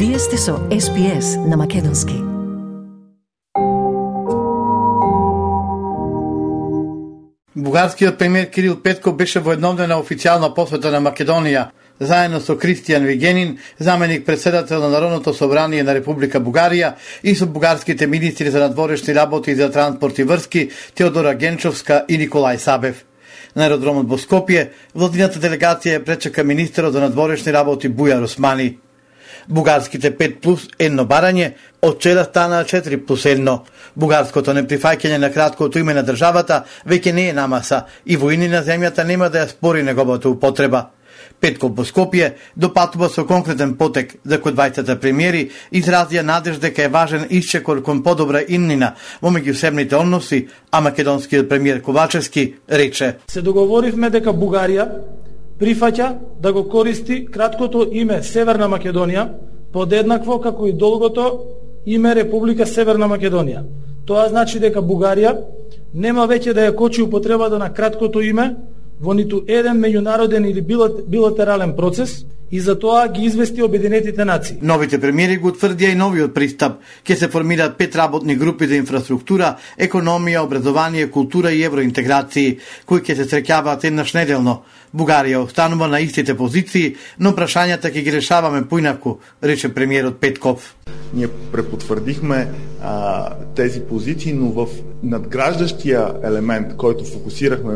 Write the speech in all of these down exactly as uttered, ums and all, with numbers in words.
Вие сте со Ес Би Ес на македонски. Бугарскиот премиер Кирил Петков беше во еднодневна официјална посета на Македонија, заедно со Кристијан Вигенин, заменик председател на Народното собрание на Република Бугарија, и со бугарските министри за надворешни работи и за транспорт и врски Теодора Генчовска и Николај Сабев. На аеродромот во Скопје, владината делегација ја пречека министерот за надворешни работи Бујар Османи. Бугарските пет плюс едно барање од вчера стана четири плюс едно. Бугарското неприфаќање на краткото име на државата веќе не е намаса и воини на земјата нема да ја спори неговата употреба. Петков во Скопје допатува со конкретен потек за кој двајцата премиери изразија надеж дека е важен исчекор кон подобра иднина во меѓусебните односи, а македонскиот премиер Ковачевски рече: Се договоривме дека Бугарија прифаќа да го користи краткото име Северна Македонија подеднакво како и долгото име Република Северна Македонија. Тоа значи дека Бугарија нема веќе да ја кочи употребата на краткото име во ниту еден меѓународен или билатерален процес и за тоа ги извести Обединетите нации. Новите премиери го утврдија и новиот пристап. Ке се формираат пет работни групи за инфраструктура, економија, образование, култура и евроинтеграции, кои ќе се среќаваат еднаш неделно. Бугарија останува на истите позиции, но прашањата ќе ги решаваме поинаку, рече премиерот Петков. Ние препотврдихме а, тези позиции, но в надграждащия елемент, който фокусирахме,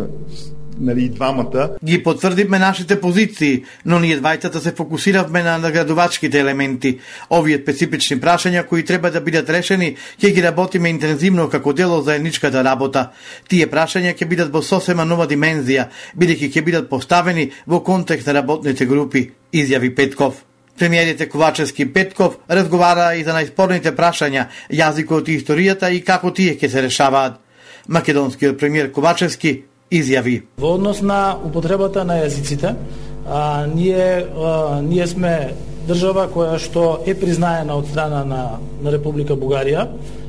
нали, двамата, ги потврдивме нашите позиции, но ние двајцата се фокусиравме на наградувачките елементи. Овие специфични прашања кои треба да бидат решени, ќе ги работиме интензивно како дел од заедничката работа. Тие прашања ќе бидат во сосема нова димензија, бидејќи ќе бидат поставени во контекст на работните групи, изјави Петков. Премиерите Ковачевски и Петков разговараа и за најспорните прашања, јазикот и историјата и како тие ќе се решаваат. Македонскиот премиер Ковачевски изјави: Во однос на употребата на јазиците, а, ние, а, ние сме држава која што е признаена од страна на, на Република Бугарија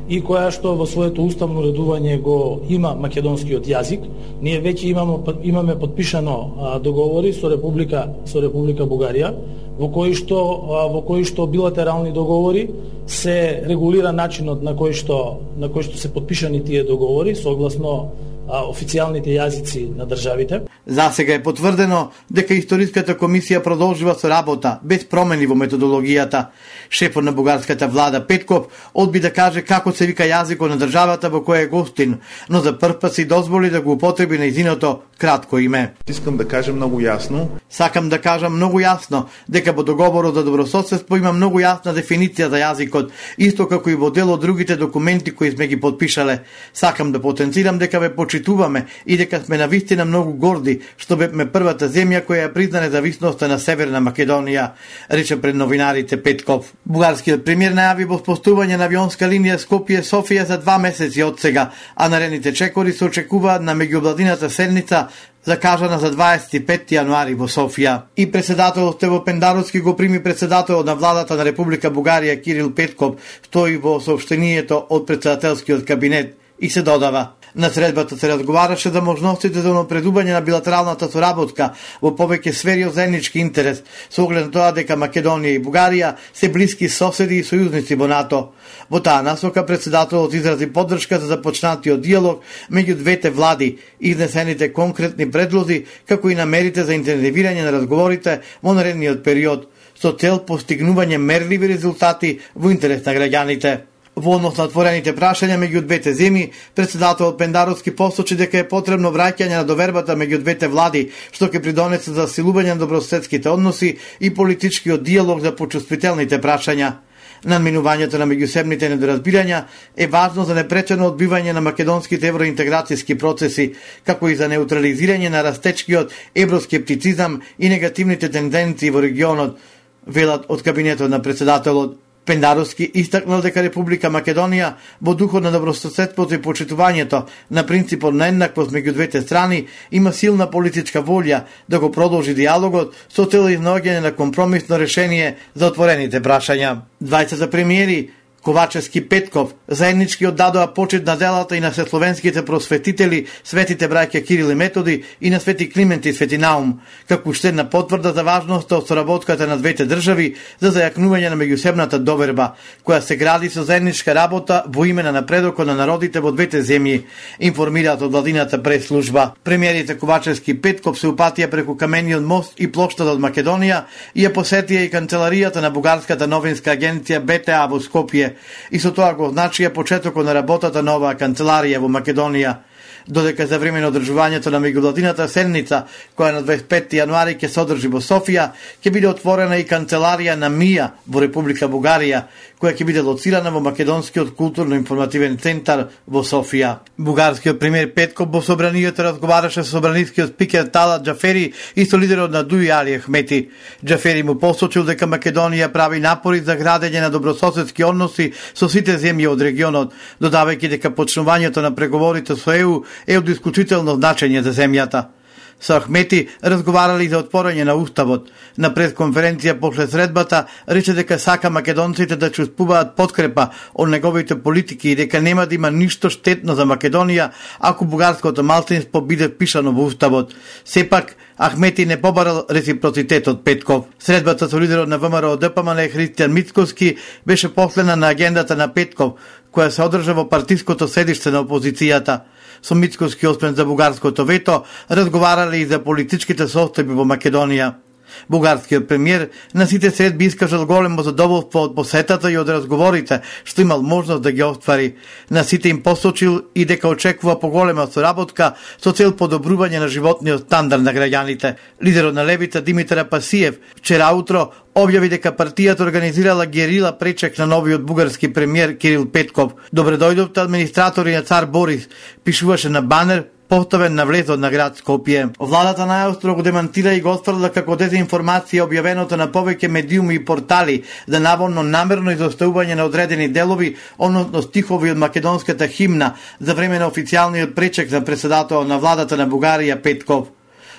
и која што во своето уставно редување го има македонскиот јазик. Ние веќе имаме, имаме подпишано а, договори со Република, со Република Бугарија, во кои што а, во кои што билатерални договори се регулира начинот на кој што на кој што се подпишани тие договори согласно официјалните јазици на државите. За сега е потврдено дека Историската комисија продолжува со работа без промени во методологијата. Шефот на бугарската влада Петков одби да каже како се вика јазикот на државата во која е гостин, но за прв пат си дозволи да го употреби нејзиното кратко име. Искам да кажам многу јасно. Сакам да кажам многу јасно дека во договорот за добрососедство има многу јасна дефиниција за јазикот, исто како и во дел од другите документи кои сме ги подпишале. Сакам да потенцирам дека ве почитуваме и дека сме навистина многу горди што бевме првата земја која ја призна независноста на Северна Македонија, рече пред новинарите Петков. Бугарскиот премиер најави воспоставување на авионска линија Скопје-Софија за два месеци од сега, а наредните чекори се очекуваат на меѓувладината седница закажана за дваесет и петти јануари во Софија. И председателот Стево Пендаровски го прими председателот на владата на Република Бугарија Кирил Петков, стои во соопштението од председателскиот кабинет и се додава: на средбата се разговараше за можностите за унапредување на билатералната соработка во повеќе сфери од заеднички интерес, со оглед на тоа дека Македонија и Бугарија се блиски соседи и сојузници во НАТО. Во таа насока председателот изрази поддршка за започнатиот диалог меѓу двете влади, изнесените конкретни предлози, како и намерите за интензивирање на разговорите во наредниот период, со цел постигнување мерливи резултати во интерес на граѓаните. Во однос на отворените прашања меѓу двете земји, председателот Пендаровски посочи дека е потребно враќање на довербата меѓу двете влади, што ќе придонесе за засилување на добрососедските односи и политичкиот диалог за почувствителните прашања. Надминувањето на меѓусебните недоразбирања е важно за непречено одбивање на македонските евроинтеграцијски процеси, како и за неутрализирање на растечкиот евроскептицизам и негативните тенденции во регионот, велат од кабинетот на председателот. Пендаровски истакнал дека Република Македонија во духот на добрососедството и почитувањето на принципот на еднаквост меѓу двете страни има силна политичка волја да го продолжи диалогот со цел изнаоѓање на компромисно решение за отворените прашања. Двајцата премиери Ковачевски Петков заеднички оддадоа почит на делата и на сесловенските просветители, светите браќа Кирил и Методи и на свети Климент и свети Наум, како уште една потврда за важноста од соработката на двете држави за зајакнување на меѓусебната доверба, која се гради со заедничка работа во име на напредокот на народите во двете земји, информираат од владината прес-служба. Премиерите Ковачевски Петков се упатија преку камениот мост и плоштадот Македонија и ја посетија и канцеларијата на бугарската новинска агенција Б Т А во Скопје, и со тоа го означија почетокот на работата на оваа канцеларија во Македонија. Додека за време на одржувањето на меѓувладината седница, која на дваесет и петти јануари ќе се одржи во Софија, ќе биде отворена и канцеларија на МИА во Република Бугарија, која ќе биде лоцирана во Македонскиот културно-информативен центар во Софија. Бугарскиот премиер Петков во собранието разговараше со собранискиот спикер Талат Џафери и со лидерот на Дуи Али Ахмети. Џафери му посочил дека Македонија прави напори за градење на добрососедски односи со сите земји од регионот, додавајќи дека почнувањето на преговорите со Е У е од исклучително значење за земјата. Со Ахмети разговарали за отворање на уставот. На пресконференција после средбата рече дека сака македонците да чувствуваат подкрепа од неговите политики и дека нема да има ништо штетно за Македонија ако бугарското малцинство биде впишано во уставот. Сепак Ахмети не побарал реципроцитет од Петков. Средбата со лидерот на ВМРО Д П М Н Христијан Мицкоски беше последна на агендата на Петков, која се одржа во партиското седиште на опозицијата. Со Мицкоски освен за бугарското вето, разговарале и за политичките состојби во Македонија. Бугарскиот премиер на сите средби искажал големо задоволство од посетата и од разговорите што имал можност да ги оствари. На сите им посочил и дека очекува поголема соработка со цел подобрување на животниот стандард на граѓаните. Лидерот на левица Димитар Апасиев вчера утро објави дека партијата организирала герила пречек на новиот бугарски премиер Кирил Петков. Добре дојдовте администратори на цар Борис, пишуваше на банер поставен на влезот на град Скопје. Владата најостро го демантира и го отфрла како дезинформација објавеното на повеќе медиуми и портали за наводно намерно изоставување на одредени делови, односно стихови од македонската химна за време на официјалниот пречек за председател на владата на Бугарија Петков.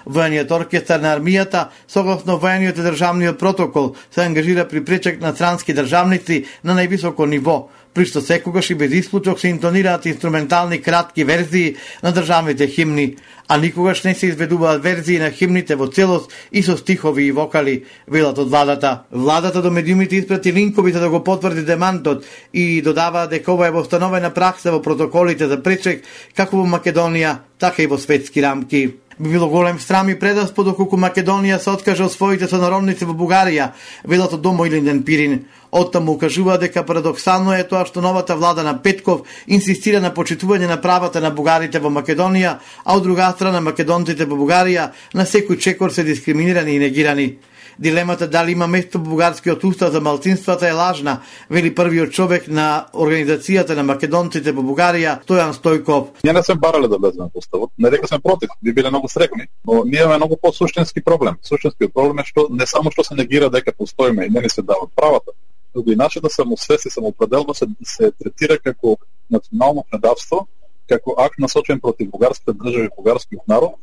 Воениот оркестар на армијата, согласно воениот и државниот протокол, се ангажира при пречек на странски државници на највисоко ниво, при што секогаш и без исклучок се интонираат инструментални кратки верзии на државните химни, а никогаш не се изведуваат верзии на химните во целост и со стихови и вокали, велат од владата. Владата до медиумите испрати линкови за да го потврди демантот и додава дека ова е востановена пракса во протоколите за пречек како во Македонија, така и во светски рамки. Би било голем срам и предаспо доколку Македонија се откаже од своите сонародници во Бугарија, велат од Домо Илинден Пирин. Оттаму укажува дека парадоксално е тоа што новата влада на Петков инсистира на почитување на правата на бугарите во Македонија, а од друга страна македонците во Бугарија на секој чекор се дискриминирани и негирани. Дилемата дали има место во бугарскиот устав за малцинствата е лажна, вели првиот човек на организацијата на македонците во Бугарија, Стојан Стојков. Ние не сме барале да влеземе во уставот, не дека сме против, би биле многу срекни, но ние имаме многу по-суштински проблем. Суштинскиот проблем е што не само што се негира дека постоиме и не ни се дават правата, туку и начинот да самосвест и самоопределба се, се третира како национално предавство, како акт насочен против бугарската држава и бугарскиот народ,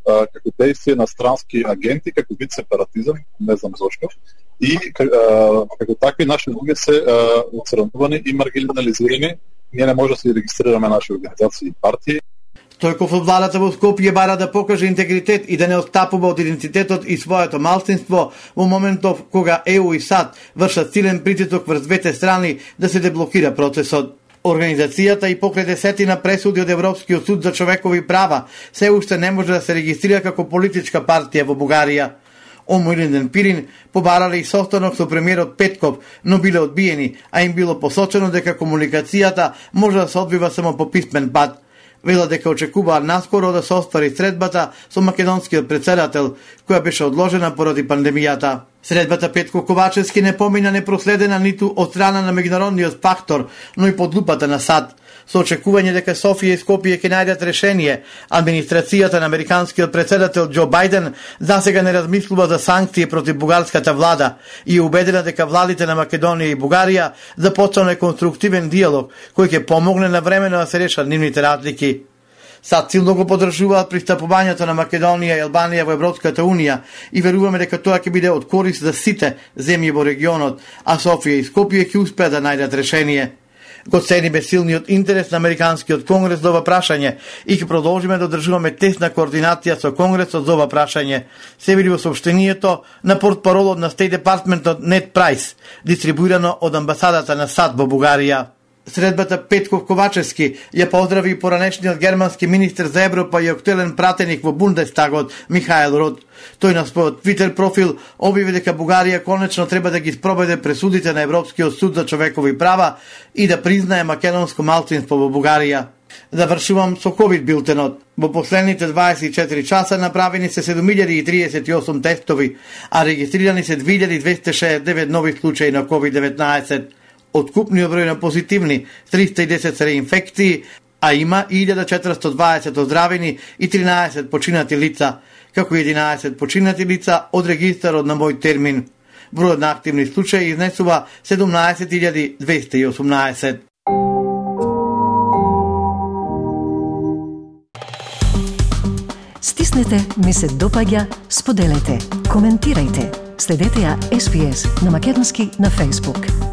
како действие на странски агенти, како вид сепаратизам, не знам зошто, и а, како такви наши луѓе се оцрнувани и маргинализирани. Ние не може да се регистрираме наши организации и партии. Стојков од владата во Скопје бара да покаже интегритет и да не отстапува од идентитетот и своето малцинство во моментов кога Е У и САД вршат силен притисок врз двете страни да се деблокира процесот. Организацијата и покрај десетина пресуди од Европскиот суд за човекови права се уште не може да се регистрира како политичка партија во Бугарија. Омо Илинден Пирин побарале и состанок со премиерот Петков, но биле одбиени, а им било посочено дека комуникацијата може да се одвива само по писмен пат. Вела дека очекуваат наскоро да се оствари средбата со македонскиот председател, која беше одложена поради пандемијата. Средбата Петков Ковачевски не помина непроследена ниту од страна на меѓународниот фактор, но и под лупата на САД. Со очекување дека Софија и Скопје ќе најдат решение, администрацијата на американскиот председател Џо Бајден засега не размислува за санкции против бугарската влада и е убедена дека владите на Македонија и Бугарија започнале конструктивен диалог кој ќе помогне на времено да се решат нивните разлики. Сад силно го поддржуваат пристапувањето на Македонија и Албанија во Европската Унија и веруваме дека тоа ќе биде од корист за сите земји во регионот, а Софија и Скопје ќе успеат да најдат решение. Го цениме силниот интерес на Американскиот конгрес за ова прашање и ќе продолжиме да одржуваме тесна координација со конгресот за ова прашање, се вели во соопштението на портпаролот на State Department Нед Прайс, дистрибуирано од амбасадата на САД во Бугарија. Средбата Петко Ковачевски ја поздрави и поранешниот германски министер за Европа и актуелен пратеник во Бундестагот Михаел Рот. Тој на својот Твитер профил објави дека Бугарија конечно треба да ги спроведе пресудите на Европскиот суд за човекови права и да признае македонско малцинство во Бугарија. Завршувам со ковид билтенот. Во последните дваесет и четири часа направени се седум илјади и триесет и осум тестови, а регистрирани се две илјади двесте шеесет и девет нови случаи на ковид деветнаесет. Од купниот број на позитивни триста и десет се реинфекции, а има илјада четиристотини и дваесет оздравени и тринаесет починати лица, како и единаесет починати лица од регистарот на мој термин. Бројот на активни случаи изнесува седумнаесет илјади двесте и осумнаесет. Стиснете, ми се допаѓа, споделете, коментирајте. Следете ја Ес Би Ес на македонски на Facebook.